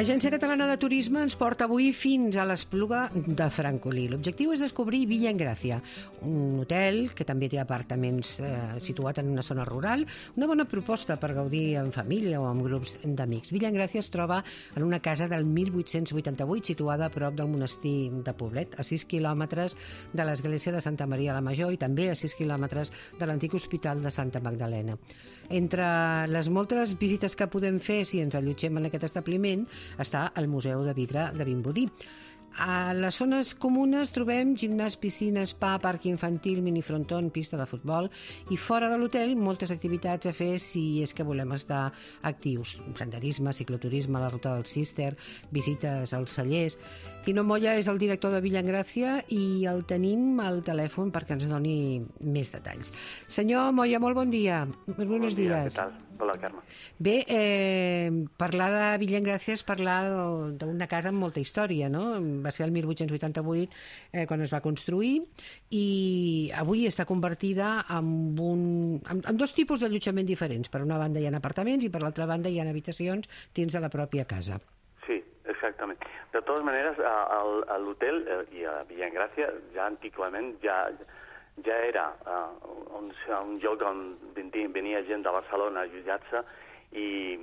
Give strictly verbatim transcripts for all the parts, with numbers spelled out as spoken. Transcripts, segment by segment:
L'Agència Catalana de Turisme ens porta avui fins a l'Espluga de Francolí. L'objectiu és descobrir Villa Engràcia, un hotel que també té apartaments eh, situat en una zona rural, una bona proposta per gaudir en família o amb grups d'amics. Villa Engràcia es troba en una casa del mil vuit-cents vuitanta-vuit situada a prop del monestir de Poblet, a sis quilòmetres de l'església de Santa Maria la Major i també a sis quilòmetres de l'antic hospital de Santa Magdalena. Entre les moltes visites que podem fer si ens allotgem en aquest establiment està el Museu de Vidre de Vimbodí. A les zones comunes trobem gimnàs, piscina, spa, parc infantil, minifronton, pista de futbol i fora de l'hotel moltes activitats a fer si és que volem estar actius. Senderisme, cicloturisme, la ruta del Cister, visites als cellers. Tino Moya és el director de Villa Engràcia i el tenim al telèfon perquè ens doni més detalls. Senyor Moya, molt bon dia. Molt buenos días. Què tal? Hola, Carme. Bé, eh, parlar de Villa Engràcia és parlar d'una casa amb molta història, no? Va ser el mil vuit-cents vuitanta-vuit eh, quan es va construir i avui està convertida en, un, en, en dos tipus d'allotjament diferents. Per una banda hi ha apartaments i per l'altra banda hi ha habitacions dins de la pròpia casa. Sí, exactament. De totes maneres, a, a l'hotel i a Villa Engràcia ja antigament ja... ja era uh, un, un lloc on venia gent de Barcelona a allotjar-se i,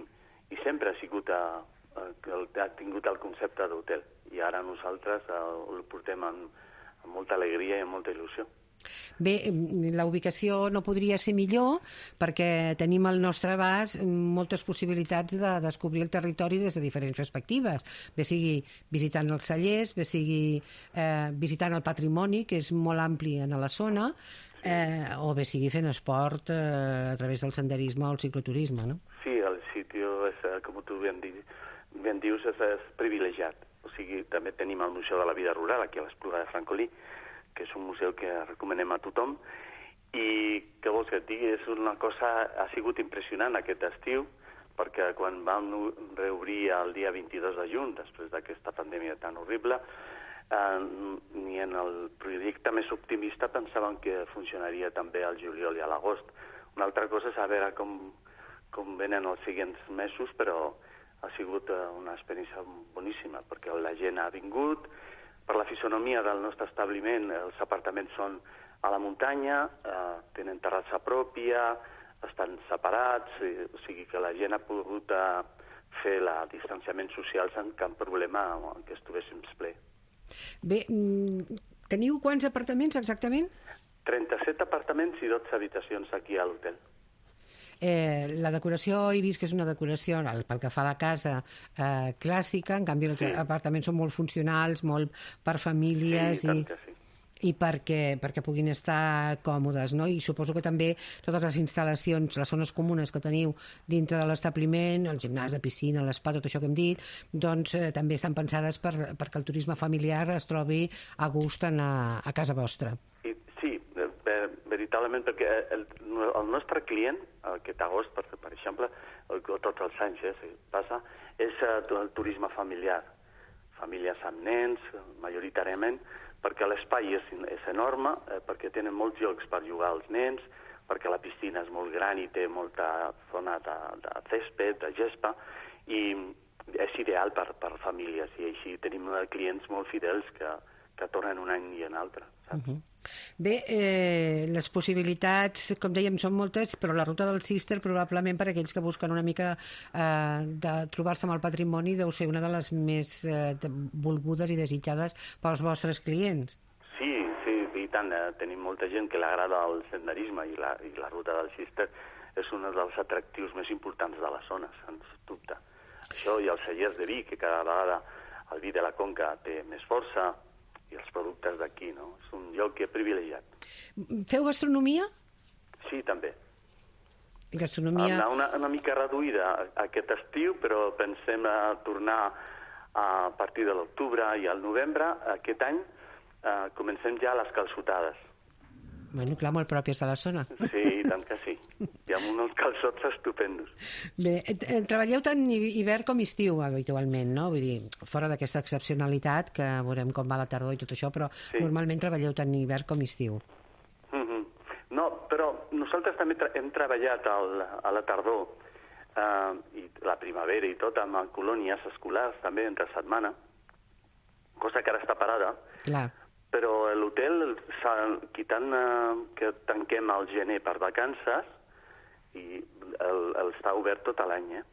i sempre ha sigut uh, uh, ha tingut el concepte d'hotel i ara nosaltres uh, el portem amb, amb molta alegria i amb molta il·lusió. Bé, la ubicació no podria ser millor perquè tenim al nostre abast moltes possibilitats de descobrir el territori des de diferents perspectives, bé sigui visitant els cellers, bé sigui eh, visitant el patrimoni, que és molt ampli en la zona, eh, o bé sigui fent esport eh, a través del senderisme o el cicloturisme, no? Sí, el sitio, és, com tu ben, di, ben dius, és, és privilegiat. O sigui, també tenim el Museu de la Vida Rural aquí a l'Espluga de Francolí, que és un museu que recomanem a tothom, i què vols que et digui, és una cosa, ha sigut impressionant aquest estiu, perquè quan vam reobrir el dia vint-i-dos de juny, després d'aquesta pandèmia tan horrible, eh, ni en el projecte més optimista pensàvem que funcionaria també al juliol i a l'agost. Una altra cosa és a veure com, com venen els següents mesos, però ha sigut una experiència boníssima, perquè la gent ha vingut. Per la fisonomia del nostre establiment, els apartaments són a la muntanya, eh, tenen terrassa pròpia, estan separats, eh, o sigui que la gent ha pogut eh, fer el distanciament social sense cap problema que estiguéssim ple. Bé, teniu quants apartaments exactament? trenta-set apartaments i dotze habitacions aquí a l'hotel. Eh, la decoració, he vist que és una decoració pel que fa a la casa eh, clàssica, en canvi els sí. apartaments són molt funcionals, molt per famílies sí, i, sí. i perquè, perquè puguin estar còmodes, no? I suposo que també totes les instal·lacions, les zones comunes que teniu dintre de l'establiment, el gimnàs, la piscina, l'espa, tot això que hem dit, doncs eh, també estan pensades per, perquè el turisme familiar es trobi a gust en a, a casa vostra. I, sí, veritablement, perquè el, el nostre client, aquest agost, per, per exemple, el, tots els anys eh, passa, és el turisme familiar. Famílies amb nens, majoritàriament, perquè l'espai és, és enorme, eh, perquè tenen molts llocs per jugar als nens, perquè la piscina és molt gran i té molta zona de, de césped, de gespa, i és ideal per, per famílies, i així tenim clients molt fidels que, que tornen un any i un altre, saps? Uh-huh. Bé, eh, les possibilitats, com dèiem, són moltes, però la ruta del Cister, probablement per aquells que busquen una mica eh, de trobar-se amb el patrimoni, deu ser una de les més eh, volgudes i desitjades pels vostres clients. Sí, sí, i tant. Eh, tenim molta gent que l'agrada el senderisme i la, i la ruta del Cister és un dels atractius més importants de la zona, sens dubte. Això i els cellers de vi, que cada vegada el vi de la Conca té més força, i els productes d'aquí, no? És un lloc que és privilegiat. Feu gastronomia? Sí, també. I gastronomia... Una, una mica reduïda aquest estiu, però pensem a tornar a partir de l'octubre i al novembre. Aquest any eh, comencem ja les calçotades. Bueno, clar, molt pròpies de la zona. Sí, tant que sí. Hi ha uns calçots estupendos. Bé, eh, treballeu tant hivern com estiu, habitualment, no? Vull dir, fora d'aquesta excepcionalitat, que veurem com va la tardor i tot això, però sí. Normalment treballeu tant hivern com estiu. Mm-hmm. No, però nosaltres també tra hem treballat al, a la tardor uh, i la primavera i tot, amb colònies escolars també entre setmana, cosa que ara està parada. Clar. Però l'hotel, quitant uh, que tanquem al gener per vacances, i el, el està obert tot l'any, eh?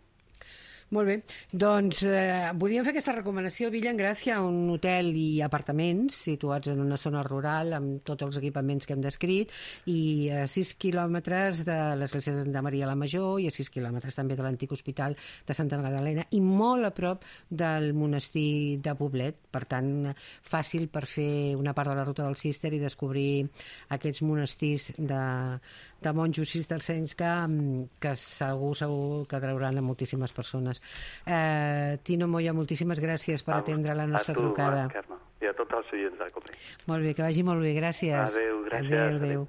Molt bé, doncs eh, volíem fer aquesta recomanació. Villa Engràcia, un hotel i apartaments situats en una zona rural amb tots els equipaments que hem descrit i a sis quilòmetres de l'església de Santa Maria la Major i a sis quilòmetres també de l'antic hospital de Santa Magdalena i molt a prop del monestir de Poblet. Per tant, fàcil per fer una part de la ruta del Cister i descobrir aquests monestirs de, de monjos cistercencs que, que segur, segur que atrauran a moltíssimes persones. Eh, Tino Moya, moltíssimes gràcies per atendre la nostra a tu, trucada. Carme, i a tots els oients de Copé. Molt bé, que vagi molt bé, gràcies. Adéu, gràcies. Adéu, adéu.